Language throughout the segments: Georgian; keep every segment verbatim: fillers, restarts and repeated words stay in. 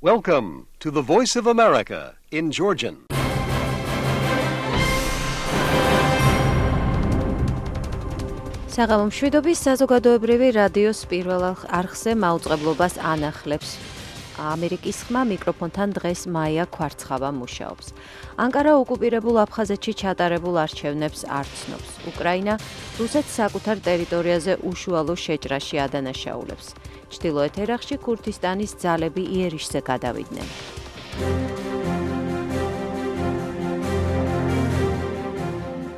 Welcome to the Voice of America in Georgian. საღამომშვიდობის საზოგადოებრივი რადიოს პირველ არხზე მაუწყებლობას ანახლებს. ამერიკის ხმა მიკროფონთან დღეს მაია ქვარცხავა მუშაობს. ანკარა ოკუპირებულ აფხაზეთში ჩატარებულ არჩევნებს არ ცნობს. უკრაინა რუსეთს საკუთარ ტერიტორიაზე უშუალო შეჭრაში ადანაშაულებს. ჩრდილოეთ ერაყში ქურთისტანის ძალები იერიშზე გადავიდნენ.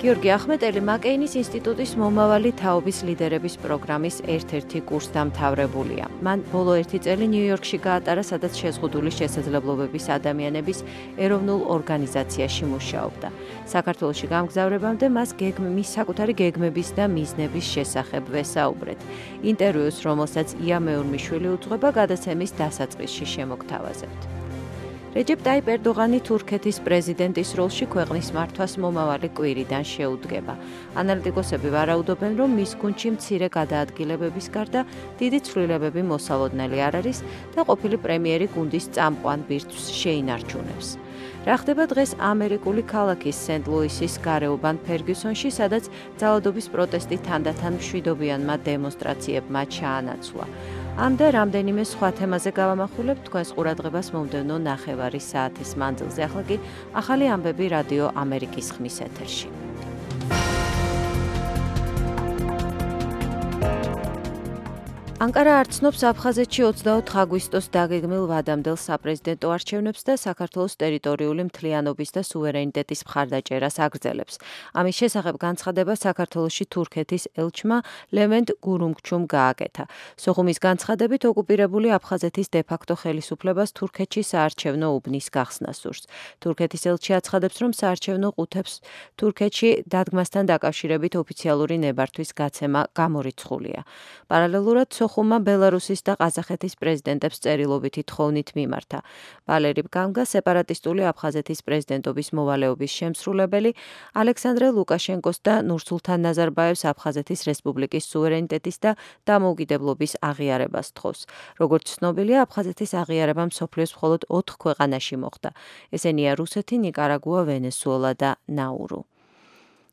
გიორგი ახმეტელი მაკეინის ინსტიტუტის მომავალი თაობის ლიდერების პროგრამის ერთ-ერთი კურსდამთავრებულია. მან ბოლო ერთი წელი ნიუ-იორკში გაატარა, სადაც შეზღუდული შესაძლებლობების ადამიანების ეროვნულ ორგანიზაციაში მუშაობდა. საქართველოში გამგზავრებამდე მას მის საკუთარი გეგმების და მიზნების შესახებ ვესაუბრეთ. ინტერვიუს, რომელსაც ია მეურმიშვილი უძღვება, გადაცემის დასაწყისში შემოგთავაზებთ. რეჯეპ ტაიპ ერდოღანი თურქეთის პრეზიდენტის როლში ქვეყნის მართვას მომავალი კვირიდან შეუდგება. ანალიტიკოსები ვარაუდობენ, რომ მის გუნდში მცირე გადაადგილებების გარდა დიდი ცვლილებები მოსალოდნელი არ არის და ყოფილი პრემიერი გუნდის წამყვან ბირთვს შეინარჩუნებს. რა ხდება დღეს ამერიკული ქალაქის სენტ-ლუისის გარეუბან ფერგიუსონში, სადაც ძალადობის პროტესტი თანდათან მშვიდობიანმა დემონსტრაციებმა ჩაანაცვლა. ამ და რამდენიმე სხვა თემაზე გავამახვილებთ თქვენს ყურადღებას მომდევნო ნახევარი საათის მანძილზე. ახლა კი ახალი ამბები რადიო ამერიკის ხმის ეთერში. ანკარა არ ცნობს აფხაზეთში ოცდაოთხ აგვისტოს დაგეგმილ ვადამდელ საპრეზიდენტო არჩევნებს და საქართველოს ტერიტორიული მთლიანობის და სუვერენიტეტის მხარდაჭერას აგრძელებს. ამის შესახებ განცხადება საქართველოში თურქეთის ელჩმა ლევენტ გურუმგჩუმ გააკეთა. სოხუმის განცხადებით ოკუპირებული აფხაზეთის დე-ფაქტო ხელისუფლებას თურქეთში საარჩევნო უბნის გახსნა სურს. თურქეთის ელჩი აცხადებს, რომ საარჩევნო ყუთებს თურქეთში დადგმასთან დაკავშირებით ოფიციალური ნებართვის გაცემა გამორიცხულია. პარალელურად ხუმა ბელარუსის და ყაზახეთის პრეზიდენტებს წერილობითი თხოვნით მიმართა. ვალერი ბგანგა, სეპარატისტული აფხაზეთის პრეზიდენტობის მოვალეობის შემსრულებელი, ალექსანდრე ლუკაშენკოს და ნურსულთან ნაზარბაევს აფხაზეთის რესპუბლიკის სუვერენიტეტის და დამოუკიდებლობის აღიარებას თხოვს. როგორც ცნობილია, აფხაზეთის აღიარება მსოფლიოს მხოლოდ ოთხ ქვეყანაში მოხდა. ესენია რუსეთი, ნიკარაგუა, ვენესუელა და ნაურუ.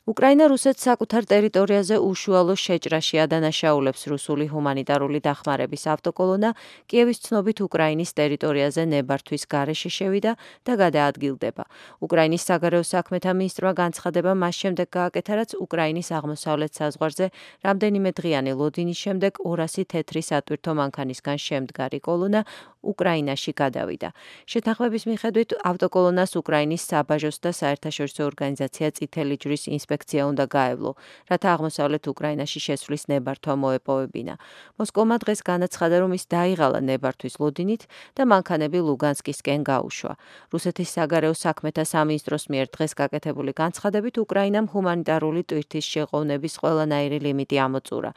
უკრაინა რუსეთს საკუთარ ტერიტორიაზე უშუალო შეჭრაში ადანაშაულებს. რუსული ჰუმანიტარული დახმარების ავტოკოლონა კიევის ცნობით უკრაინის ტერიტორიაზე ნებართვის გარეშე შევიდა და გადაადგილდება. უკრაინის საგარეო საქმეთა მინისტრმა განცხადება მას შემდეგ გააკეთა, რაც უკრაინის აღმოსავლეთ საზღვარზე რამდენიმე დღიანი ლოდინის შემდეგ ორასი თეთრი სატვირთო მანქანისგან შემდგარი კოლონა უკრაინაში გადავიდა. შეთანხმების მიხედვით ავტოკოლონას უკრაინის საბაჟოს და საერთაშორისო ორგანიზაცია წითელი ჯვრის ინსპექცია უნდა გაევლო, რათა აღმოსავლეთ უკრაინაში შესვლის ნებართვა მოეპოვებინა. მოსკოვმა დღეს განაცხადა, რომ ის დაიღალა ნებართვის ლოდინით და მანქანები ლუგანსკისკენ გაუშვა. რუსეთის საგარეო საქმეთა სამინისტროს მიერ დღეს გაკეთებული განცხადებით უკრაინამ ჰუმანიტარული ტვირთის შეყოვნების ყველანაირი ლიმიტი ამოწურა.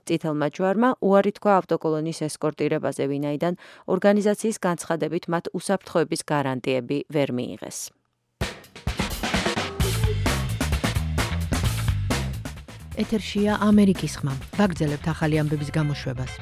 წითელმა ჯვარმა უარი თქვა ავტოკოლონის ესკორტირებაზე, ვინაიდან ორგანიზაციის განცხადებით მათ უსაფრთხოების გარანტიები ვერ მიიღეს. ეთერშია ამერიკის ხმა. ვაგრძელებთ ახალი ამბების გამოშვებას.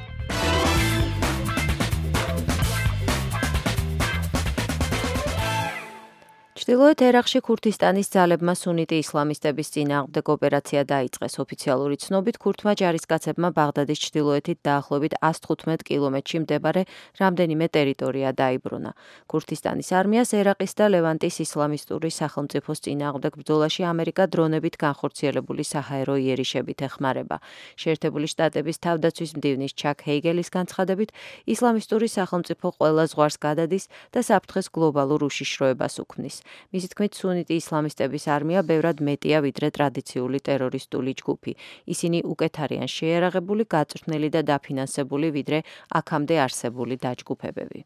ჩრდილოეთ ერაყში ქურთისტანის ძალებმა სუნიტი ისლამისტების წინააღმდეგ ოპერაცია დაიწყეს. ოფიციალური ცნობით ქურთმა ჯარისკაცებმა ბაღდადის ჩრდილოეთით დაახლოებით ასი თხუთმეტ კილომეტრში მდებარე რამდენიმე ტერიტორია დაიბრუნა. ქურთისტანის არმიას ერაყის და ლევანტის ისლამისტური სახელმწიფოს წინააღმდეგ ბრძოლაში ამერიკა დრონებით განხორციელებული საჰაერო იერიშებით ეხმარება. შეერთებული შტატების თავდაცვის მდივნის ჩაკ ჰეიგელის განცხადებით, ისლამისტური სახელმწიფო ყველა ზღვარს გადადის და საფრთხეს გლობალურ უშიშროებას უქმნის. მისი თქმით, სუნიტი ისლამისტების არმია ბევრად მეტია ვიდრე ტრადიციული ტერორისტული ჯგუფი. ისინი უკეთ არიან შეიარაღებული, გაწვრთნილი და დაფინანსებული ვიდრე აქამდე არსებული დაჯგუფებები.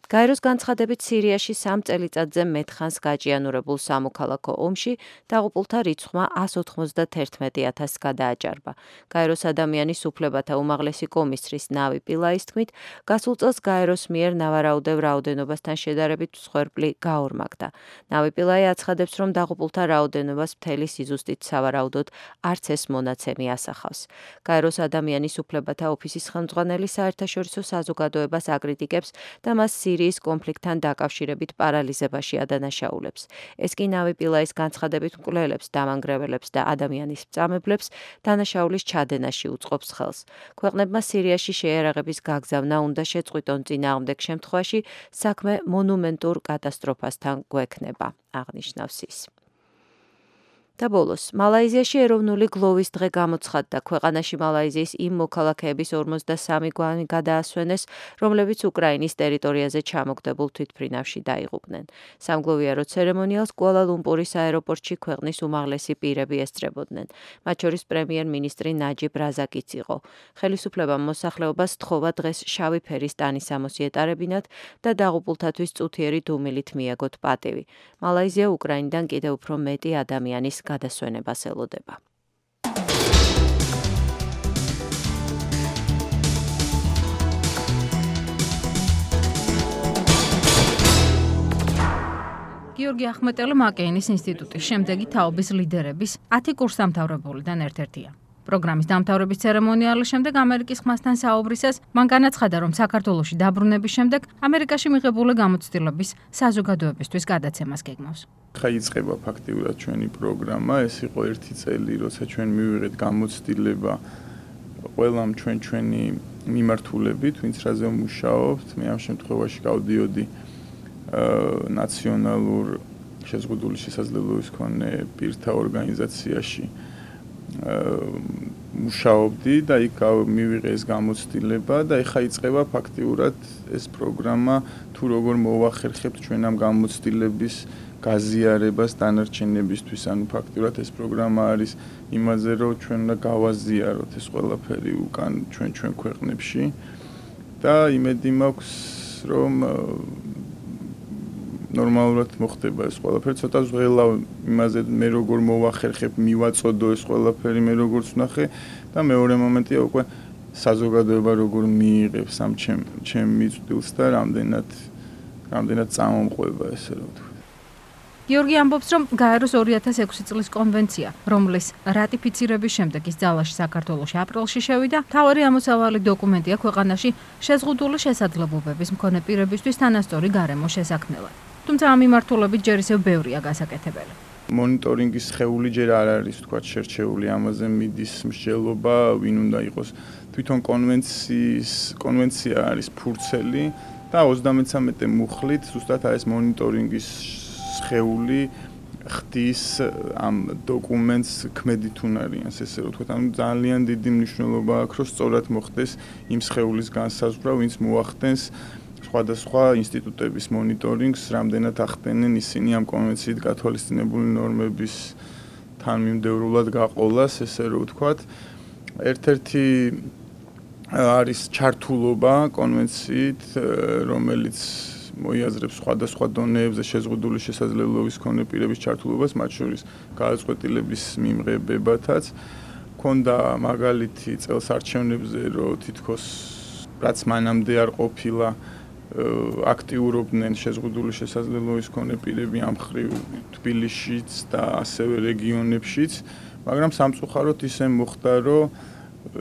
გაეროს განცხადებით, სირიაში სამ წელიწადზე მეტხანს გაჭიანურებულ სამოქალაქო ომში დაღუპულთა რიცხვმა ასი ოცდაათი ათასს გადააჭარბა. გაეროს ადამიანის უფლებათა უმაღლესი კომისრის ნავი პილაის თქმით, გასულ წელს გაეროს მიერ ნავარაუდევ რაოდენობასთან შედარებით მსხვერპლი გაორმაგდა. ნავი პილაი აცხადებს, რომ დაღუპულთა რაოდენობას მთელი სიზუსტით სავარაუდოდ არც ეს მონაცემი ასახავს. გაეროს ადამიანის უფლებათა ოფისის ხელმძღვანელი საერთაშორისო საზოგადოებას აკრიტიკებს და მას სირიის კონფლიქტთან დაკავშირებით პარალიზებაში ადანაშაულებს. ეს კი ნავი პილაის განცხადებით მკვლელებს, დამანგრეველებს და ადამიანის მწამებლებს დანაშაულის ჩადენაში უწყობს ხელს. ქვეყნებმა სირიაში შეიარაღების გაგზავნა უნდა შეწყვიტონ, წინააღმდეგ შემთხვევაში საქმე მონუმენტურ კატასტროფასთან გვექნება, აღნიშნავს ის. და ბოლოს, მალაიზიაში ეროვნული გლოვის დღე გამოცხადდა. ქვეყანაში მალაიზიის იმ მოქალაქეების ორმოცდასამი გვამი გადაასვენეს, რომლებიც უკრაინის ტერიტორიაზე ჩამოგდებულ თვითმფრინავში დაიღუპნენ. სამგლოვიარო ცერემონიალს კუალა-ლუმპურის აეროპორტში ქვეყნის უმაღლესი პირები ესწრებოდნენ. მათ შორის პრემიერ-მინისტრი ნაჯიბ რაზაკიც იყო. ხელისუფლებამ მოსახლეობას სთხოვა დღეს შავი ფერის ტანისამოსი ეტარებინათ და დაღუპულთათვის წუთიერი დუმილით მიაგოთ პატივი. მალაიზია უკრაინიდან კიდევ უფრო მეტი ადამიანის გადასვენებას ელოდება. გიორგი ახმეტელი მაკეინის ინსტიტუტის შემდეგი თაობის ლიდერების ათი კურსდამთავრებულიდან ერთ-ერთია. პროგრამის დამთავრების ცერემონიალის შემდეგ ამერიკის ხმასთან საუბრისას მან განაცხადა, რომ საქართველოში დაბრუნების შემდეგ ამერიკაში მიღებული გამოცდილების საზოგადოებისთვის გადაცემას გეგმავს. ხა იწყება ფაქტიურად ჩვენი პროგრამა, ეს იყო ერთი წელი, როცა ჩვენ მივიღეთ გამოცდილება ყველამ ჩვენ ჩვენი მიმართულებით, ვინც რაზე ვმუშაობთ. მე ამ შემთხვევაში გავდიოდი ნაციონალურ შეზღუდული შესაძლებლობის მქონე პირთა ორგანიზაციაში მუშაობდი და იქ მივიღე ეს გამოცდილება და ეხა იწყება ფაქტიურად ეს პროგრამა, თუ როგორ მოვახერხებთ ჩვენ ამ გამოცდილების გაზიარებას დანარჩენებისთვის. ანუ ფაქტიურად ეს პროგრამა არის იმაზე, რომ ჩვენ უნდა გავაზიაროთ ეს ყველაფერი უკან ჩვენ ჩვენ ქვეყნებში და იმედი მაქვს, რომ ნორმალურად მოხდება ეს ყველაფერი. ცოტა ზღელა იმაზე მე როგორ მოვახერხებ, მივაწოდო ეს ყველაფერი, მე როგორც ვნახე და მეორე მომენტია უკვე საზოგადოება როგორ მიიღებს ამ ჩემ ჩემ მიწვდილს და რამდენად რამდენად წამომყვება ესე რომ ვთქვი. გიორგი ამბობს, რომ გაეროს ორი ათას ექვსი წლის კონვენცია, რომლის რატიფიცირების შემდეგ ის ძალაში საქართველოში აპრილში შევიდა, მთავარი ამოსავალი დოკუმენტია ქვეყანაში შეზღუდული შესაძლებლობების მქონე პირებისთვის თანასწორი გარემო შესაქმნელად. თუმცა ამ მიმართულებით ჯერ ისევ ბევრია გასაკეთებელი. მონიტორინგის სხეული ჯერ არ არის თქვა შერჩეული, ამაზე მიდის მსჯელობა, ვინ უნდა იყოს. თვითონ კონვენციის კონვენცია არის ფურცელი და ოცდამეცამეტე მუხლით ზუსტად ეს მონიტორინგის სხეული ხდის ამ დოკუმენტს ქმედით უნარიანს, ესე რომ ვთქვათ, ანუ ძალიან დიდი მნიშვნელობა აქვს, რომ სწორად მოხდეს იმ სხეულის განსაზღვრა, ვინც მოახდენს სხვადასხვა ინსტიტუტების მონიტორინგს, რამდენად ახდენენ ისინი ამ კონვენციით გათვალისწინებული ნორმების თანმიმდევრულად გაყოლას, ესე რომ ვთქვათ. ერთ-ერთი არის ჩართულობა კონვენციით, რომელიც მოიაზრებს სხვადასხვა დონეებზე შეზღუდული შესაძლებლობის მქონე პირების ჩართულობას, მათ შორის გადაწყვეტილების მიმღებებათაც. ქონდა მაგალითი წელს არჩევნებზე, რომ თითქოს რაც მანამდე არ ყოფილა აქტიურობდნენ შეზღუდული შესაძლებლობის მქონე პირები ამ მხრივ თბილისშიც და ასევე რეგიონებშიც, მაგრამ სამწუხაროდ ისე მოხდა, რომ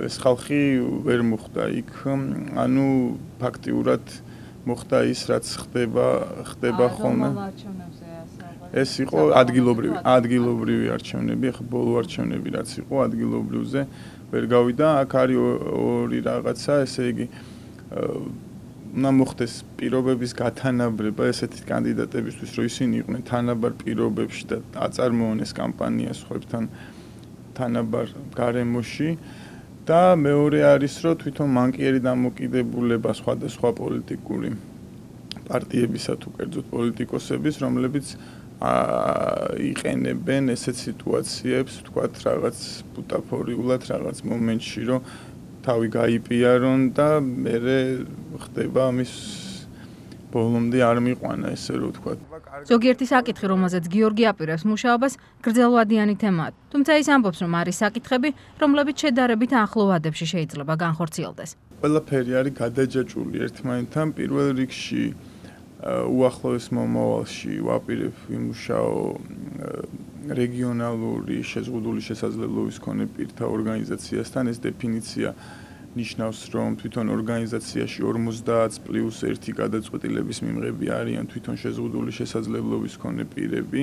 ეს ხალხი ვერ მოხვდა იქ, ანუ ფაქტიურად მოხდა ის, რაც ხდება, ხდება ხოლმე. ეს იყო ადგილობრივი, ადგილობრივი არჩევნები, ახლა ბოლო არჩევნები რაც იყო ადგილობრივზე ვერ გავიდა. აქ არის ორი რაღაცა, ესე იგი უნდა მოხდეს პირობების გათანაბრება ესეთი კანდიდატებისთვის, რომ ისინი იყვნენ თანაბარ პირობებში და აწარმოონეს კამპანია სხვებთან თანაბარ გარემოში. და მეორე არის, რომ თვითონ მანკიერი დამოკიდებულება სხვადასხვა პოლიტიკური პარტიებისა თუ კერძოდ პოლიტიკოსების, რომლებიც იყენებენ ესეთ სიტუაციებს, თქვათ, რაღაც ბუტაფორიულად, რაღაც მომენტში, რომ თავი გაიპიარონ და მერე ხდება ამის ბოლომდე არ მიყვანა, ესე რომ ვთქვათ. ზოგიერთი საკითხი, რომელზეც გიორგი აპირებს მუშაობას, გრძელვადიანი თემაა. თუმცა ის ამბობს, რომ არის საკითხები, რომლებიც შედარებით ახლო ვადებში შეიძლება განხორციელდეს. ყველაფერი არის გადაჯაჭვული ერთმანეთთან. პირველ რიგში უახლოეს მომავალში ვაპირებ ვიმუშაო რეგიონალური შეზღუდული შესაძლებლობის მქონე პირთა ორგანიზაციასთან. ეს დეფინიცია ნიშნავს, რომ თვითონ ორგანიზაციაში ორმოცდაათ პლუს ერთი გადაწყვეტილების მიმღები არიან თვითონ შეზღუდული შესაძლებლობის მქონე პირები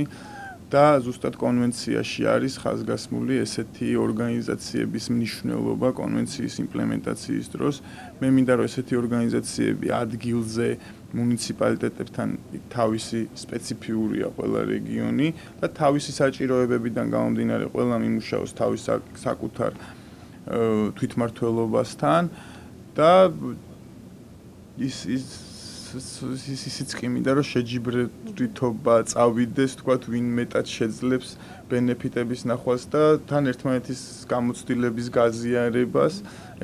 და ზუსტად კონვენციაში არის ხაზგასმული ესეთი ორგანიზაციების მნიშვნელობა კონვენციის იმპლემენტაციის დროს. მე მინდა რომ ესეთი ორგანიზაციები ადგილზე მუნიციპალიტეტებთან თავისი სპეციფიურია ყველა რეგიონი და თავისი საჭიროებებიდან გამომდინარე ყველა მიმუშაოს თავის საკუთარ თვითმმართველობასთან და ის ის ისიც კი მინდა რომ შეჯიბრებითობა წავიდეს, თქვათ, ვინ მეტად შეძლებს ბენეფიტების ნახვას და თან ერთმანეთის გამოცდილების გაზიარებას.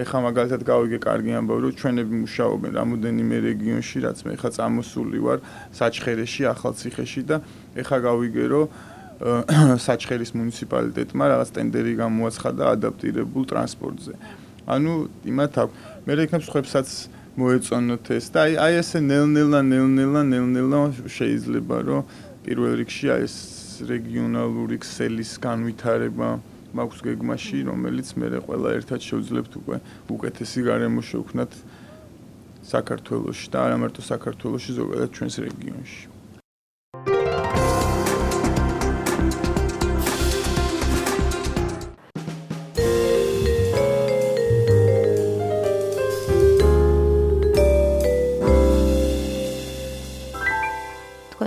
ეხლა მაგალითად გავიგე კარგი ამბავი, რომ ჩვენები მუშაობენ რამოდენიმე რეგიონში, რაც მე ეხლა წამოსული ვარ საჩხერეში, ახალციხეში და ეხლა გავიგე, რომ საჩხერის მუნიციპალიტეტმა რაღაც ტენდერი გამოაცხადა ადაპტირებულ ტრანსპორტზე. ანუ იმათ აქვს. მე იქნებ სხვებსაც მოეწონოთ ეს და აი აი ესე ნელ-ნელა ნელ-ნელა ნელ-ნელა შეიძლება რომ პირველ რიგში აი ეს რეგიონალური ქსელის განვითარება მაქვს გეგმაში, რომელიც მე ყველა ერთად შევძლებთ უკვე უკეთესი გარემო შევქმნათ საქართველოში და არა მარტო საქართველოში, ზოგადად ჩვენს რეგიონში.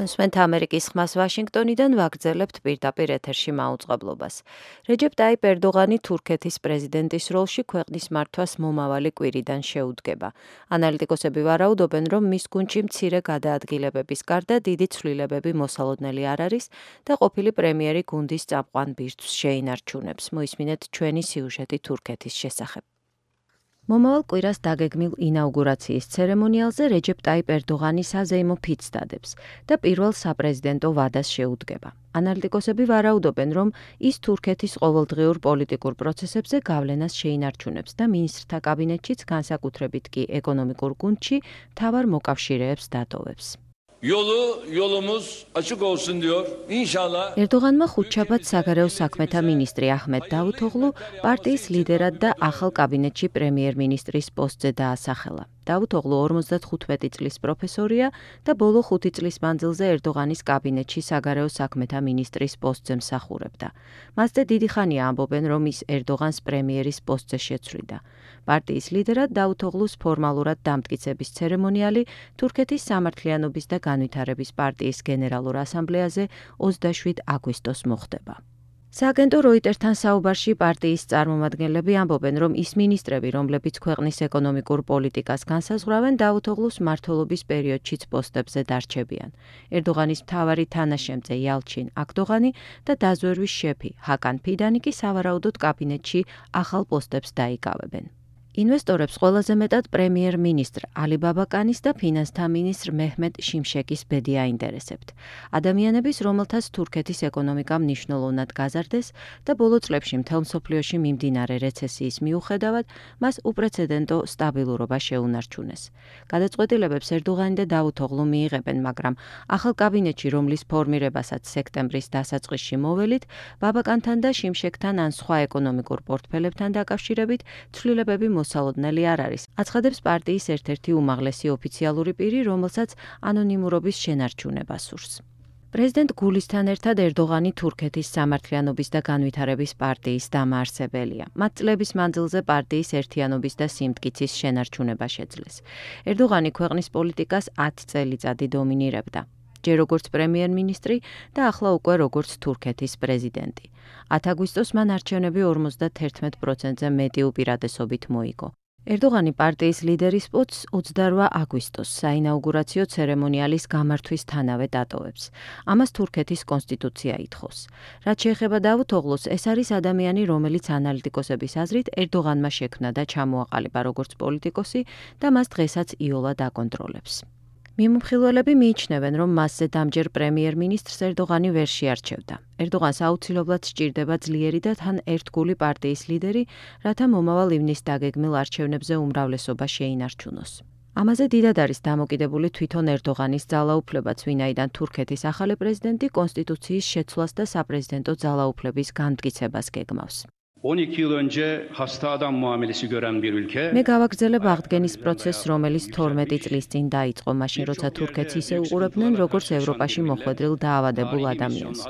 მსმენთ ამერიკის ხმას ვაშინგტონიდან ვაგრძელებთ პირდაპირ ეთერში მაუწყებლობას. რეჯეპ ტაიპ ერდოღანი თურქეთის პრეზიდენტის როლში ქვეყნის მართვას მომავალი კვირიდან შეუდგება. ანალიტიკოსები ვარაუდობენ, რომ მის გუნდში მცირე გადაადგილებების გარდა დიდი ცვლილებები მოსალოდნელი არ არის და ყოფილი პრემიერი გუნდის წამყვან ბირთვს შეინარჩუნებს. მოისმინეთ ჩვენი სიუჟეტი თურქეთის შესახებ. მომავალ კვირას დაგეგმილ ინაუგურაციის ცერემონიალზე რეჯეპ ტაიპ ერდოღანი საზეიმო ფიცს დადებს და პირველ საპრეზიდენტო ვადას შეუდგება. ანალიტიკოსები ვარაუდობენ, რომ ის თურქეთის ყოველდღიურ პოლიტიკურ პროცესებზე გავლენას შეინარჩუნებს და მინისტრთა კაბინეტშიც, განსაკუთრებით კი ეკონომიკურ გუნდში, მთავარ მოკავშირეებს დატოვებს. Yolu yolumuz açık olsun diyor. İnşallah. ერდოღანმა ხუთშაბათ საგარეო საქმეთა მინისტრი აჰმედ დავუთოღლუ პარტიის ლიდერად და ახალ კაბინეტში პრემიერ-მინისტრის პოსტზე დაასახელა. დავუთოღლუ ორმოცდახუთი წლის პროფესორია და ბოლო ხუთი წლის მანძილზე ერდოღანის კაბინეტში საგარეო საქმეთა მინისტრის პოსტზე მსახურებდა. მასზე დიდი ხანია ამბობენ, რომ ის ერდოღანს პრემიერის პოსტზე შეცვლიდა. პარტიის ლიდერად დავუთოღლუს ფორმალურად დამტკიცების ცერემონიალი თურქეთის სამართლიანობის და განვითარების პარტიის გენერალურ ასამბლეაზე ოცდაშვიდ აგვისტოს მოხდება. სააგენტო როიტერთან საუბარში პარტიის წარმომადგენლები ამბობენ, რომ ის მინისტრები, რომლებიც ქვეყნის ეკონომიკურ პოლიტიკას განსაზღვრავენ, დავუთოღლუს მმართველობის პერიოდშიც პოსტებზე დარჩებიან. ერდოღანის მთავარი თანაშემწე იალჩინ აკდოღანი და დაზვერვის შეფი ჰაკან ფიდანი კი სავარაუდოდ კაბინეტში ახალ პოსტებს დაიკავებენ. ინვესტორებს ყველაზე მეტად პრემიერ-მინისტრ ალი ბაბაკანის და ფინანსთა მინისტრ მეჰმედ შიმშეკის ბედი აინტერესებთ. ადამიანების, რომელთაც თურქეთის ეკონომიკა მნიშვნელოვნად გაზარდეს და ბოლო წლებში მთელ მსოფლიოში მიმდინარე რეცესიის მიუხედავად, მას უპრეცედენტო სტაბილურობა შეუნარჩუნეს. გადაწყვეტილებებს ერდოღანი და დავუთოღლუ მიიღებენ, მაგრამ ახალ კაბინეტში, რომლის ფორმირებასაც სექტემბრის დასაწყისში მოველით, ბაბაკანთან და შიმშეკთან ან სხვა ეკონომიკურ პორტფელებთან დაკავშირებით ცვლილებები მოსალოდნელი არ არის. აცხადებს პარტიის ერთ-ერთი უმაღლესი ოფიციალური პირი, რომელსაც ანონიმურობის შენარჩუნება სურს. პრეზიდენტ გულისთან ერთად ერდოღანი თურქეთის სამართლიანობის და განვითარების პარტიის დამაარსებელია. მათ წლების მანძილზე პარტიის ერთიანობის და სიმტკიცის შენარჩუნება შეძლეს. ერდოღანი ქვეყნის პოლიტიკას ათი წელიწადი დომინირებდა. ჯერ როგორც პრემიერ-მინისტრი და ახლა უკვე როგორც თურქეთის პრეზიდენტი. ათი აგვისტოს მან არჩევნები ორმოცდათერთმეტ პროცენტზე მეტი უპირატესობით მოიგო. ერდოღანი პარტიის ლიდერის პოსტს ოცდარვა აგვისტოს საინაუგურაციო ცერემონიალის გამართვისთანავე დატოვებს. ამას თურქეთის კონსტიტუცია ითხოვს. რაც შეეხება დავუთოღლუს, ეს არის ადამიანი, რომელიც ანალიტიკოსების აზრით ერდოღანმა შექმნა და ჩამოაყალიბა როგორც პოლიტიკოსი და მას დღესაც იოლად აკონტროლებს. მიმოხილველები მიიჩნევენ, რომ მასზე დამჯერ პრემიერ-მინისტრს ერდოღანი ვერ შეარჩევდა. ერდოღანს აუცილებლად სჭირდება ძლიერი და თან ერთგული პარტიის ლიდერი, რათა მომავალ ივნისს დაგეგმილ არჩევნებზე უმრავლესობა შეინარჩუნოს. ამაზე დიდად არის დამოკიდებული თვითონ ერდოღანის ძალაუფლებაც, ვინაიდან თურქეთის ახალი პრეზიდენტი კონსტიტუციის შეცვლას და საპრეზიდენტო ძალაუფლების განმტკიცებას გეგმავს. on iki yıl önce hasta adam muamelesi gören bir ülke. მე გავაგრძელებ აღდგენის პროცესს, რომელიც თორმეტი წლის წინ დაიწყო, მაშინ როცა თურქეთს ისე უყურებდნენ, როგორც ევროპაში მოხვედრილ დაავადებულ ადამიანს.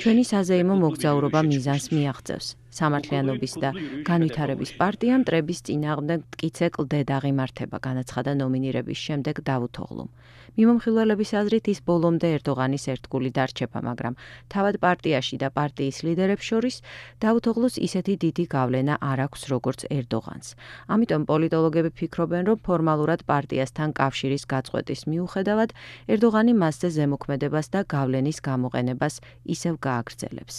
ჩვენი საზეიმო მოგზაურობა მიზანს მიაღწევს. სამართლიანობის და განვითარების პარტიამ მტრების წინააღმდეგ მტკიცე კლდე დაღიმართება, განაცხადა ნომინირების შემდეგ დავუთოღლუმ. მიმომხილველების აზრით ის ბოლომდე ერდოღანის ერთგული დარჩება, მაგრამ თავად პარტიაში და პარტიის ლიდერებს შორის დავუთოღლუს ისეთი დიდი გავლენა არ აქვს, როგორც ერდოღანს. ამიტომ პოლიტოლოგები ფიქრობენ, რომ ფორმალურად პარტიასთან კავშირის გაწყვეტის მიუხედავად, ერდოღანი მასზე ზემოქმედებას და გავლენის გამოყენებას ისევ გააგრძელებს.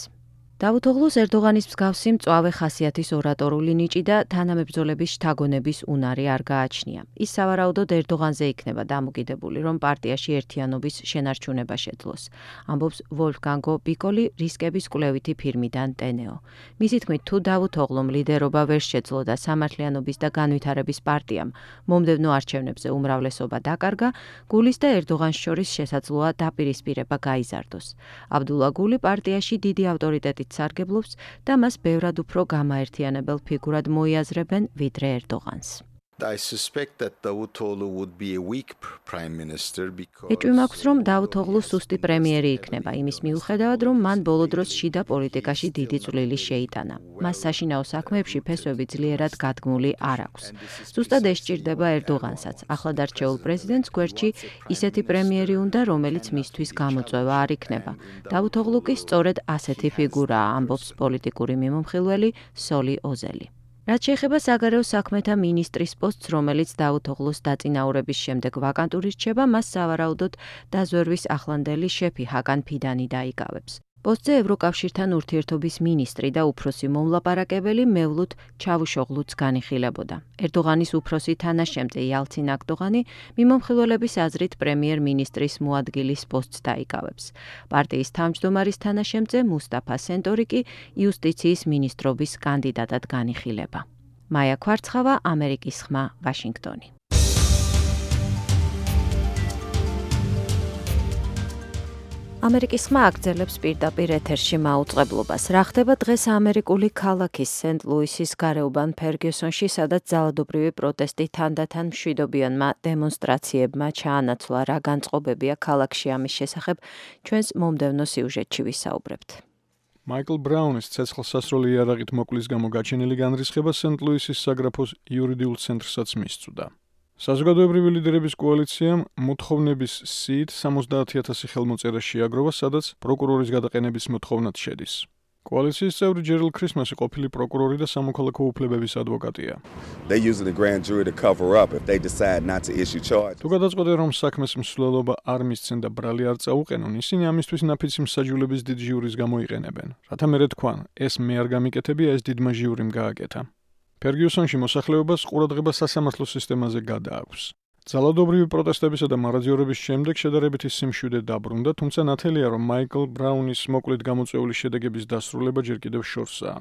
დავუთოღლუს ერდოღანის მსგავსი მწვავე ხასიათის ორატორული ნიჭი და თანამებრძოლების შთაგონების უნარი არ გააჩნია. ის სავარაუდოდ ერდოღანზე იქნება დამოკიდებული, რომ პარტიაში ერთიანობის შენარჩუნება შეძლოს. ამბობს ვოლფგანგო ბიკოლი რისკების კვლევითი ფირმიდან ტენეო. მისი თქმით, თუ დავუთოღლუმ ლიდერობა ვერ შეძლო და სამართლიანობის და განვითარების პარტიამ მომდევნო არჩევნებზე უმრავლესობა დაკარგა, გულის და ერდოღანს შორის შესაძლოა დაპირისპირება გაიზარდოს. აბდულა გული პარტიაში დიდი ავტორიტეტით სარგებლობს და მას ბევრად უფრო გამაერთიანებელ ფიგურად მოიაზრებენ ვიდრე ერდოღანს. ეჭვი მაქვს, რომ დავუთოღლუ სუსტი პრემიერი იქნება, იმის მიუხედავად, რომ მან ბოლო დროს შიდა პოლიტიკაში დიდი წვლილი შეიტანა. მას საშინაო საქმეებში ფესვები ძლიერად გადგმული არ აქვს. ზუსტად ეს სჭირდება ერდოღანსაც. ახლად არჩეულ პრეზიდენტს გვერდში ისეთი პრემიერი უნდა, რომელიც მისთვის გამოწვევა არ იქნება. დავუთოღლუ კი სწორედ ასეთი ფიგურაა, ამბობს პოლიტიკური მიმომხილველი სოლი ოზელი. რაც შეეხება საგარეო საქმეთა მინისტრის პოსტს, რომელიც დავუთოღლუს დაწინაურების შემდეგ ვაკანტური რჩება, მას სავარაუდოდ დაზვერვის ახლანდელი შეფი ჰაკან ფიდანი დაიკავებს. პოსტზე ევროკავშირთან ურთიერთობის მინისტრი და უფროსი მომლაპარაკებელი მევლუდ ჩავუშოღლუც განიხილებოდა. ერდოღანის უფროსი თანაშემწე იალცინ აკდოღანი მიმომხილველების აზრით პრემიერ-მინისტრის მოადგილის პოსტს დაიკავებს. პარტიის თავმჯდომარის თანაშემწე მუსტაფა სენტორი კი იუსტიციის მინისტრობის კანდიდატად განიხილება. მაია ქვარცხავა, ამერიკის ხმა, ვაშინგტონი. ამერიკის ხმა აგრძელებს პირდაპირ ეთერში მაუწყებლობას. რა ხდება დღეს ამერიკული ქალაქის სენტ-ლუისის გარეუბან ფერგიუსონში, სადაც ძალადობრივი პროტესტი თანდათან მშვიდობიანმა დემონსტრაციებმა ჩაანაცვლა. რა განწყობებია ქალაქში ამის შესახებ, ჩვენს მომდევნო სიუჟეტში ვისაუბრებთ. მაიკლ ბრაუნის ცეცხლსასროლი იარაღით მოკვლის გამო გაჩენილი განრისხება სენტ-ლუისის საგრაფოს იურიდიულ ცენტრსაც მისწვდა. საზოგადოებრივი ლიდერების კოალიციამ მოთხოვნების სიით სამოცდაათი ათასი ხელმოწერა შეაგროვა, სადაც პროკურორის გადაყენების მოთხოვნაც შედის. კოალიციის წევრი ჯერალ ქრისმასი ყოფილი პროკურორი და სამოქალაქო უფლებების ადვოკატია. თუ გადაწყვეტენ, რომ საქმეს მსვლელობა არ მისცენ და ბრალი არ წაუყენონ, ისინი ამისთვის ნაფიცი მსაჯულების დიდ ჟიურის გამოიყენებენ. რათა მერე თქვან, ეს მე არ გამიკეთებია, ეს დიდმა ჟიურიმ გააკეთა. ფერგიუსონში მოსახლეობას ყურადღება სასამართლო სისტემაზე გადააქვს. ძალადობრივი პროტესტებისა და მარაძიორების შემდეგ შედარებითი სიმშვიდე დაბრუნდა, თუმცა ნათელია, რომ მაიკლ ბრაუნის მოკლედ გამოწვეული შედეგების დასრულება ჯერ კიდევ შორსაა.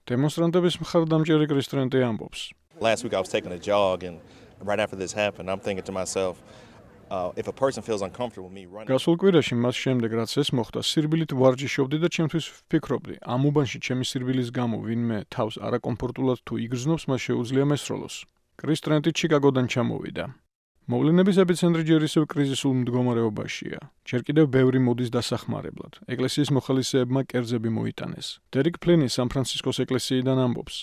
დემონსტრანტების მხარდამჭერი კრის ტრენტი ამბობს. Last week I was taking a jog and right after this happened, I'm thinking to myself, Uh, if a person feels uncomfortable with me running. გასულ კვირაში მას შემდეგ რაც ეს მოხდა, სირბილით ვარჯიშობდი და ჩემთვის ვფიქრობდი, ამ უბანში ჩემი სირბილის გამო ვინმე თავს არაკომფორტულად თუ იგრძნობს, მას შეუძლია მესროლოს. კრის ტრენტი ჩიკაგოდან ჩამოვიდა. მოვლენების ეპიცენტრი ჯერ ისევ კრიზისულ მდგომარეობაშია. ჯერ კიდევ ბევრი მოდის დასახმარებლად. ეკლესიის მოხალისეებმა კერძები მოიტანეს. დერიკ ფლინი სან-ფრანცისკოს ეკლესიიდან ამბობს.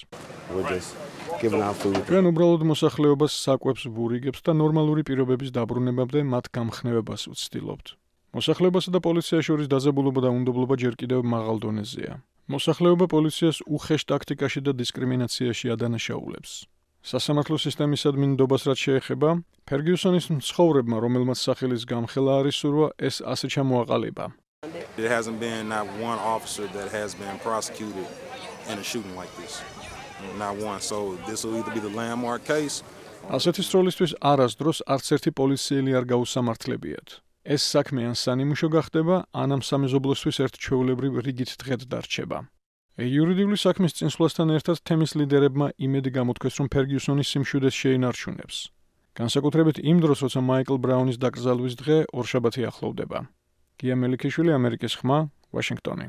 ჩვენ უბრალოდ მოსახლეობას საკვებს ვურიგებთ და ნორმალური პირობების დაბრუნებამდე მათ გამხნევებას ვცდილობთ. მოსახლეობასა და პოლიციას შორის დაძაბულობა და უნდობლობა ჯერ კიდევ მაღალ დონეზეა. მოსახლეობა პოლიციას უხეშ ტაქტიკაში და დისკრიმინაციაში ადანაშაულებს. სასამართლო სისტემისადმი ნდობას რაც შეეხება, ფერგიუსონის მცხოვრებმა, რომელმაც სახელის გამხელა არის სურვა, ეს ასე ჩამოაყალიბა. There hasn't been not one officer that has been prosecuted in a shooting like this. Not one. So this will either be the landmark case. ასეთი სროლისთვის არასდროს არც ერთი პოლიციელი არ გაუსამართლებიათ. ეს საქმე ან სანიმუშო გახდება, ან ამ სამეზობლოსთვის ერთ ჩვეულებრივ რიგით დღედ დარჩება. იურიდიული საქმის წინსვლასთან ერთად თემის ლიდერებმა იმედი გამოთქვეს, რომ ფერგიუსონის სიმშვიდეს შეინარჩუნებს. განსაკუთრებით იმ დროს, როცა მაიკლ ბრაუნის დაკრძალვის დღე ორშაბათი ახლოვდება. გია მელიქიშვილი, ამერიკის ხმა, ვაშინგტონი.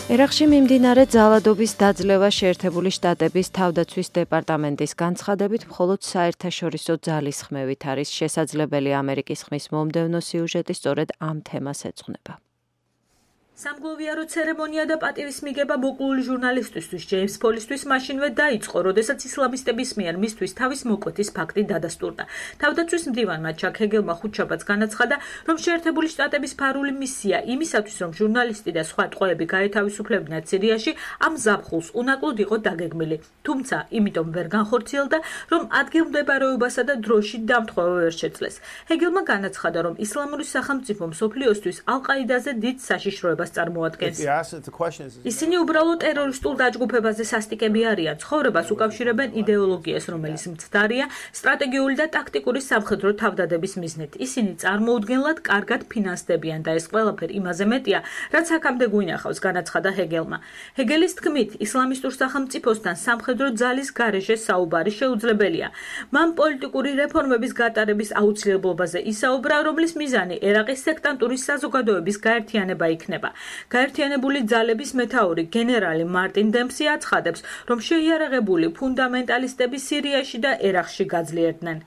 ერაყში მიმდინარე ძალადობის დაძლევა შეერთებული შტატების თავდაცვის დეპარტამენტის განცხადებით მხოლოდ საერთაშორისო ძალისხმევით არის შესაძლებელი ამერიკის ხმის მომდევნო სიუჟეტი სწორედ ამ თემას ეძღვნება. სამგლოვიარო ცერემონია და პატივის მიგება მოკლული ჟურნალისტისთვის ჯეიმს პოლისთვის მაშინვე დაიწყო, როდესაც ისლამისტების მიერ მისთვის თავის მოკვეთის ფაქტი დადასტურდა. თავდაცვის მდივანმა ჩაკ ჰეგელმა ხუთშაბათს განაცხადა, რომ შეერთებული შტატების ფარული მისია იმისათვის, რომ ჟურნალისტი და სხვა ტყვეები გაეთავისუფლებინათ სირიაში, ამ ზაფხულს უნაკლოდ იყო დაგეგმილი. თუმცა, იმიტომ ვერ განხორციელდა, რომ ადგილმდებარეობასა და დროში დამთხოვა ვერ შეძლეს. ჰეგელმა განაცხადა, რომ ისლამური სახელმწიფო მსოფლიოსთვის ალ-ყაიდაზე დიდ საშიშროებას წარმოადგენს. ისინი უბრალოდ ტერორისტულ დაჯგუფებაზე სასტიკები არიან, ცხოვრებას უკავშირებენ იდეოლოგიას, რომელიც მცდარია სტრატეგიული და ტაქტიკური სამხედრო თავდადების მიზნით. ისინი წარმოუდგენლად კარგად ფინანსდებიან და ეს ყველაფერი იმაზე მეტია, რაც აქამდე გვინახავს, განაცხადა ჰეგელმა. ჰეგელის თქმით, ისლამისტურ სახელმწიფოსთან სამხედრო ძალის გარეშე საუბარი შეუძლებელია. მან პოლიტიკური რეფორმების გატარების აუცილებლობაზე ისაუბრა, რომლის მიზანი ერაყის სექტანტური საზოგადოების გაერთიანება იქნება. გაერთიანებული ძალების მეთაური გენერალი მარტინ დემსი აცხადებს, რომ შეიარაღებული ფუნდამენტალისტები სირიაში და ერაყში გაძლიერდნენ.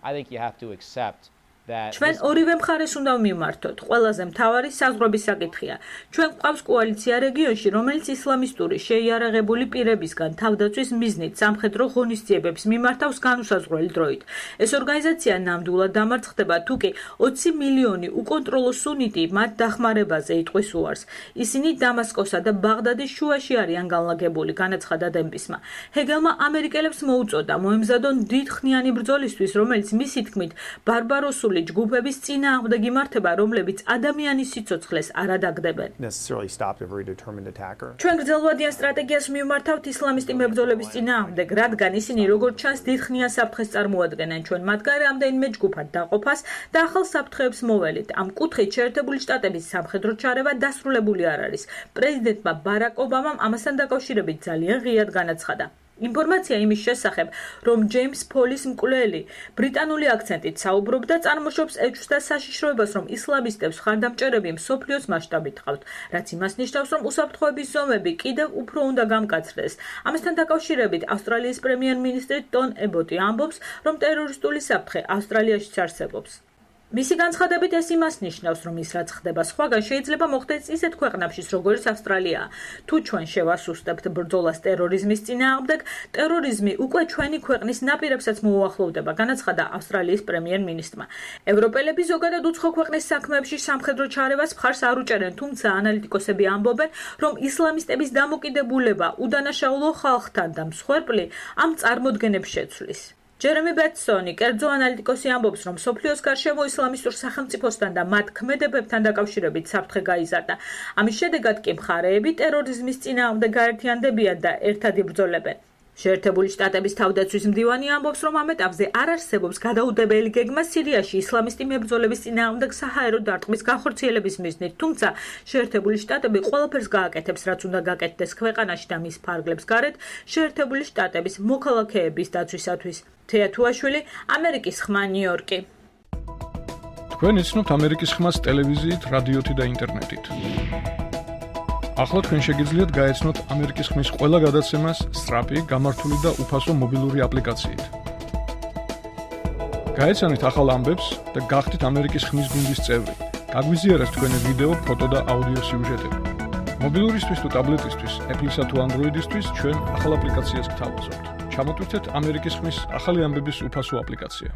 ჩვენ ორივე მხარეს უნდა მივმართოთ. ყველაზე მთავარი საზღვრების საკითხია. ჩვენ გვყავს კოალიცია რეგიონში, რომელიც ისლამისტური შეიარაღებული პირებისგან თავდაცვის მიზნით სამხედრო ღონისძიებებს მიმართავს განუსაზღვრელი დროით. ეს ორგანიზაცია ნამდვილად დამარცხდება, თუკი ოცი მილიონი უკონტროლო სუნიტი მათ დახმარებაზე იტყვის უარს. ისინი დამასკოსა და ბაღდადის შუაში არიან განლაგებული, განაცხადა დემპისმა. ჰეგელმა ამერიკელებს მოუწოდა მოემზადონ დიდხნიანი ბრძოლისთვის, რომელიც მისი თქმით ბარბაროსული ჯგუფების წინააღმდეგ იმართება, რომლებიც ადამიანის სიცოცხლეს არ ადაგდებენ. ჩვენ გრძელვადიან სტრატეგიას მივმართავთ ისლამისტი მებრძოლების წინააღმდეგ, რადგან ისინი როგორც ჩანს დიდხნიან საფრთხეს წარმოადგენენ. ჩვენ მათგან რამდენიმე ჯგუფად დაყოფას და ახალ საფრთხეებს მოველით. ამ კუთხით შეერთებული შტატების სამხედრო ჩარევა დასრულებული არ არის. პრეზიდენტმა ბარაკ ობამამ ამასთან დაკავშირებით ძალიან ღიად განაცხადა. ინფორმაცია იმის შესახებ, რომ ჯეიმს პოლის მკვლელი ბრიტანული აქცენტით საუბრობდა, წარმოშობს ეჭვს და საშიშროებას, რომ ისლამისტებს ხარდამჭერები მსოფლიოს მასშტაბით ჰყავთ, რაც იმას ნიშნავს, რომ უსაფრთხოების ზომები კიდევ უფრო უნდა გამკაცრდეს. ამასთან დაკავშირებით ავსტრალიის პრემიერ-მინისტრი ტონ ებოტი ამბობს, რომ ტერორისტული საფრთხე ავსტრალიაშიც არსებობს. მისი განცხადებით ეს იმას ნიშნავს, რომ ის რაც ხდება სხვაგან შეიძლება მოხდეს ისეთ ქვეყნებშიც, როგორც ავსტრალია. თუ ჩვენ შევასუსტებთ ბრძოლას ტერორიზმის წინააღმდეგ, ტერორიზმი უკვე ჩვენი ქვეყნის ნაპირებსაც მოუახლოვდება, განაცხადა ავსტრალიის პრემიერ-მინისტრმა. ევროპელები ზოგადად უცხო ქვეყნის საქმეებში სამხედრო ჩარევას მხარს არ უჭერენ, თუმცა ანალიტიკოსები ამბობენ, რომ ისლამისტების დამოკიდებულება უდანაშაულო ხალხთან და მსხვერპლი ამ წარმოდგენებს შეცვლის. ჯერემი ბეტსონი, კერძო ანალიტიკოსი ამბობს, რომ მსოფლიოს გარშემო ისლამისტურ სახელმწიფოსთან და მათ ქმედებებთან დაკავშირებით საფრთხე გაიზარდა. ამის შედეგად კი მხარეები ტერორიზმის წინააღმდეგ გაერთიანდებიან და ერთად იბრძოლებენ. შეერთებული შტატების თავდაცვის მდივანი ამბობს, რომ ამ ეტაპზე არ არსებობს გადაუდებელი გეგმა სირიაში ისლამისტი მებრძოლების წინააღმდეგ საჰაერო დარტყმის განხორციელების მიზნით, თუმცა შეერთებული შტატები ყველაფერს გააკეთებს, რაც უნდა გაკეთდეს ქვეყანაში და მის ფარგლებს გარეთ შეერთებული შტატების მოქალაქეების დაცვისათვის. თეა თუაშვილი, ამერიკის ხმა, ნიუ-იორკი. თქვენ იცნობთ ამერიკის ხმას ტელევიზიით, რადიოთი და ინტერნეტით. ახლა თქვენ შეგიძლიათ გაეცნოთ ამერიკის ხმის ყველა გადაცემას სწრაფი, გამართული და უფასო მობილური აპლიკაციით. გაეცანით ახალ ამბებს და გახდით ამერიკის ხმის გუნდის წევრი. გაგვიზიარეთ თქვენი ვიდეო, ფოტო და აუდიო სიუჟეტები. მობილურისთვის თუ ტაბლეტისთვის, Apple-ისა თუ Android-ისთვის ჩვენ ახალ აპლიკაციას გთავაზობთ. ჩამოტვირთეთ ამერიკის ხმის ახალი ამბების უფასო აპლიკაცია.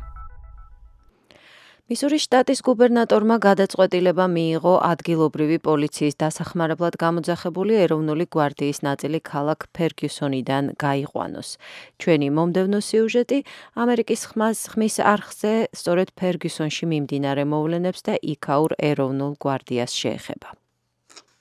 მისურის შტატის გუბერნატორმა გადაწყვეტილება მიიღო ადგილობრივი პოლიციის დასახმარებლად გამოძახებული ეროვნული გვარდიის ნაწილი ქალაქ ფერგიუსონიდან გაიყვანოს. ჩვენი მომდევნო სიუჟეტი ამერიკის ხმას ხმის არხზე სწორედ ფერგიუსონში მიმდინარე მოვლენებს და იქაურ ეროვნულ გვარდიას შეეხება.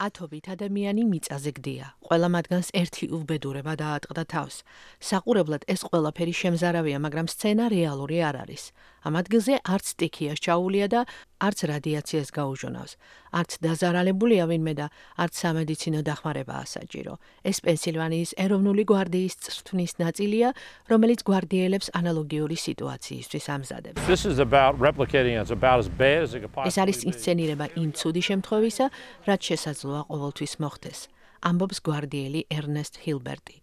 ათობით ადამიანი მიწაზე გდია. ყველა მათგანს ერთი უბედურება დაატყდა თავს. საყურებლად ეს ყველაფერი შემზარავია, მაგრამ სცენა რეალური არ არის. ამ ადგილზე არც სტიქიას ჩაულია და არც რადიაციას გაუჟონავს. არც დაზარალებულია ვინმე და არც სამედიცინო დახმარებაა საჭირო. ეს პენსილვანიის ეროვნული გვარდიის წვრთნის ნაწილია, რომელიც გვარდიელებს ანალოგიური სიტუაციისთვის ამზადებს. ეს არის ინსცენირება იმ ცუდი შემთხვევისა, რაც შესაძლოა ყოველთვის მოხდეს. ამბობს გვარდიელი ერნესტ ჰილბერტი.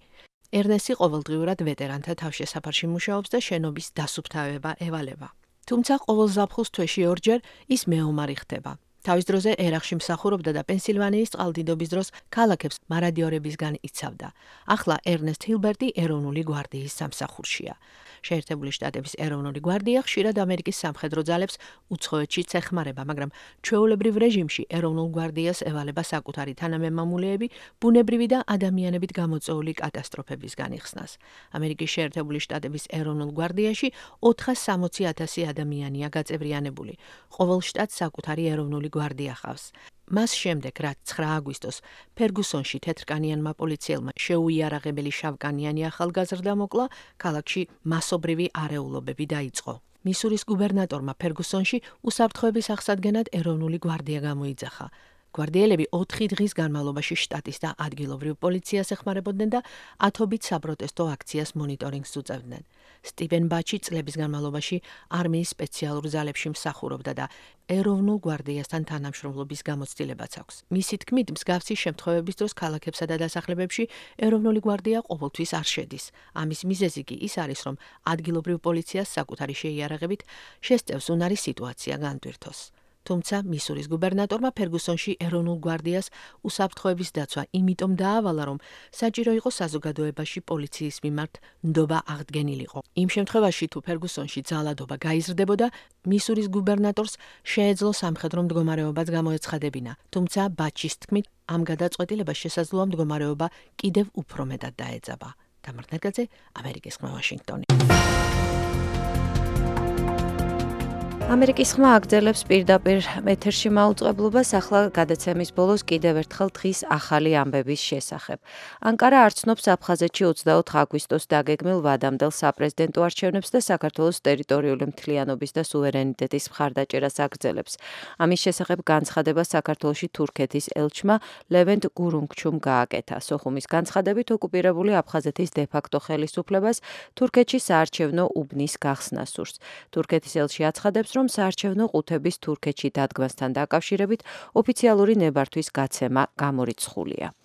ერნესტი ყოველდღიურად ვეტერანთა თავშესაფარში მუშაობს და შენობის დასუფთავება ევალება. თუმცა ყოველ ზაფხულს თვეში ორჯერ ის მეომარი ხდება. თავის დროზე ერახში მსახურობდა და პენსილვანიის წყალდიდობის დროს ქალაქებს მარადიორებისგან იცავდა. ახლა ერნესტ ჰილბერტი ეროვნული გვარდიის სამსახურშია. შეერთებული შტატების ეროვნული გვარდია ხშირად ამერიკის სამხედრო ძალებს უცხოეთშიც ეხმარება, მაგრამ ჩვეულებრივ რეჟიმში ეროვნულ გვარდიას ევალება საკუთარი თანამემამულეები ბუნებრივი და ადამიანებით გამოწვეული კატასტროფებისგან იხსნას. ამერიკის შეერთებული შტატების ეროვნულ გვარდიაში ოთხას სამოცი ათასი ადამიანია გაწევრიანებული. ყოველ შტატს საკუთარი ეროვნული გვარდია ხავს. მას შემდეგ, რაც ცხრა აგვისტოს ფერგუსონში თეთრკანიანმა პოლიციელმა შეუიარაღებელი შავკანიანი ახალგაზრდა მოკლა, ქალაქში მასობრივი არეულობები დაიწყო. მისურის გუბერნატორმა ფერგუსონში უსაფრთხოების აღსადგენად ეროვნული გვარდია გამოიძახა. გვარდიელები ოთხი დღის განმავლობაში შტატის და ადგილობრივ პოლიციას ეხმარებოდნენ და ათობით საპროტესტო აქციას მონიტორინგს უწევდნენ. სტივენ ბაჩი წლების განმავლობაში არმიის სპეციალურ ძალებში მსახურობდა და ეროვნულ გვარდიასთან თანამშრომლობის გამოცდილებაც აქვს. მისი თქმით, მსგავსი შემთხვევების დროს ქალაქებსა და დასახლებებში ეროვნული გვარდია ყოველთვის არ შედის. ამის მიზეზი კი ის არის, რომ ადგილობრივ პოლიციას საკუთარი შეიარაღებით შესწევს უნარი სიტუაცია განტვირთოს. თუმცა მისურის გუბერნატორმა ფერგუსონში ეროვნულ გვარდიას უსაფრთხოების დაცვა იმიტომ დაავალა, რომ საჭირო იყო საზოგადოებაში პოლიციის მიმართ ნდობა აღდგენილიყო. იმ შემთხვევაში, თუ ფერგუსონში ძალადობა გაიზრდებოდა, მისურის გუბერნატორს შეეძლო სამხედრო მდგომარეობაც გამოეცხადებინა. თუმცა ბაჩის თქმით, ამ გადაწყვეტილებას შესაძლოა მდგომარეობა კიდევ უფრო მეტად დაეძაბა. თამარ ნერგაძე, ამერიკის ხმა, ვაშინგტონი. ამერიკის ხმა აგრძელებს პირდაპირ ეთერში მაუწყებლობას, ახლა გადაცემის ბოლოს კიდევ ერთხელ დღის ახალი ამბების შესახებ. ანკარა არ ცნობს აფხაზეთში ოცდაოთხ აგვისტოს დაგეგმილ ვადამდელ საპრეზიდენტო არჩევნებს და საქართველოს ტერიტორიული მთლიანობის და სუვერენიტეტის მხარდაჭერას აგრძელებს. ამის შესახებ განცხადება საქართველოში თურქეთის ელჩმა ლევენტ გურუნგჩუმ გააკეთა. სოხუმის განცხადებით ოკუპირებული აფხაზეთის დე-ფაქტო ხელისუფლებას თურქეთში საარჩევნო უბნის გახსნა სურს. თურქეთის ელჩი აცხადებს, რომ საარჩევნო ყუთების თურქეთში დადგმასთან დაკავშირებით ოფიციალური ნებართვის გაცემა გამორიცხულია.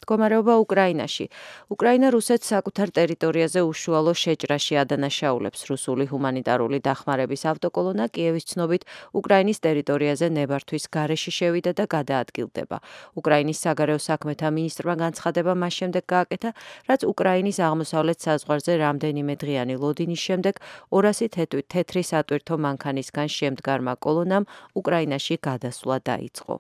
მდგომარეობა უკრაინაში. უკრაინა რუსეთს საკუთარ ტერიტორიაზე უშუალო შეჭრაში ადანაშაულებს. რუსული ჰუმანიტარული დახმარების ავტოკოლონა კიევის ცნობით უკრაინის ტერიტორიაზე ნებართვის გარეშე შევიდა და გადაადგილდება. უკრაინის საგარეო საქმეთა მინისტრმა განცხადება მას შემდეგ გააკეთა, რაც უკრაინის აღმოსავლეთ საზღვარზე რამდენიმე დღიანი ლოდინის შემდეგ ორასი თეთრი სატვირთო მანქანისგან შემდგარმა კოლონამ უკრაინაში გადასვლა დაიწყო.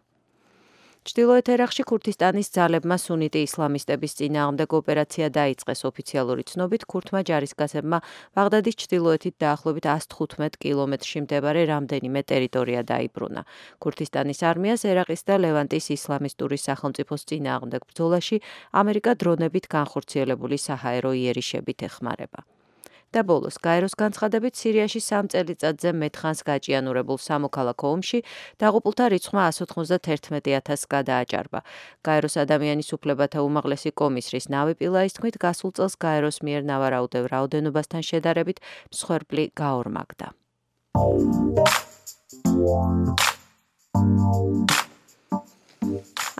ჩრდილოეთ ერაყში ქურთისტანის ძალებმა სუნიტი ისლამისტების წინააღმდეგ ოპერაცია დაიწყეს. ოფიციალური ცნობით ქურთმა ჯარისკაცებმა ბაღდადის ჩრდილოეთით დაახლოებით ას თხუთმეტ კილომეტრში მდებარე რამდენიმე ტერიტორია დაიბრუნა. ქურთისტანის არმიას ერაყის და ლევანტის ისლამისტური სახელმწიფოს წინააღმდეგ ბრძოლაში ამერიკა დრონებით განხორციელებული საჰაერო იერიშებით ეხმარება. და ბოლოს, გაეროს განცხადებით, სირიაში სამ წელიწადზე მეტხანს გაჭიანურებულ სამოქალაქო ომში დაღუპულთა რიცხვმა ას ოთხმოცდაერთმეტი ათასს გადააჭარბა. გაეროს ადამიანის უფლებათა უმაღლესი კომისრის ნავი პილაის თქმით, გასულ წელს გაეროს მიერ ნავარაუდევ რაოდენობასთან შედარებით მსხვერპლი გაორმაგდა.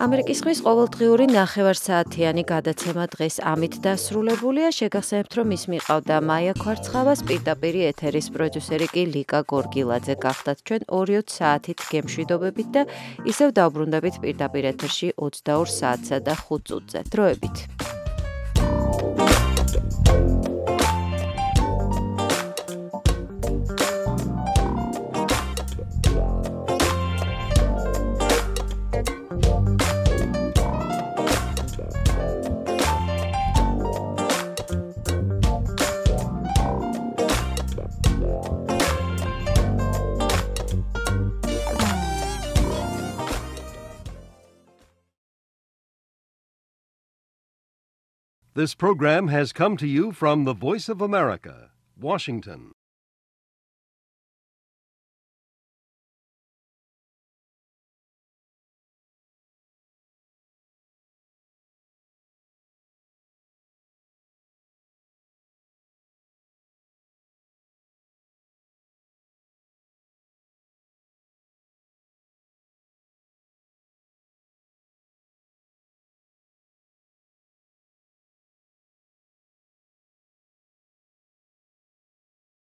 ამერიკის ხმის ყოველდღიური ნახევარსაათიანი გადაცემა დღეს ამით დასრულებულია. შეგახსენებთ, რომ ის მიყავდა მაია ქვარცხავას, პირდაპირი ეთერის პროდიუსერი კი ლიკა გორგილაძე. გახდათ ჩვენ ორი საათით გემშვიდობებით და ისევ დავბრუნდებით პირდაპირ ეთერში ოცდაორ საათსა და ხუთ წუთზე. დროებით. This program has come to you from the Voice of America, Washington.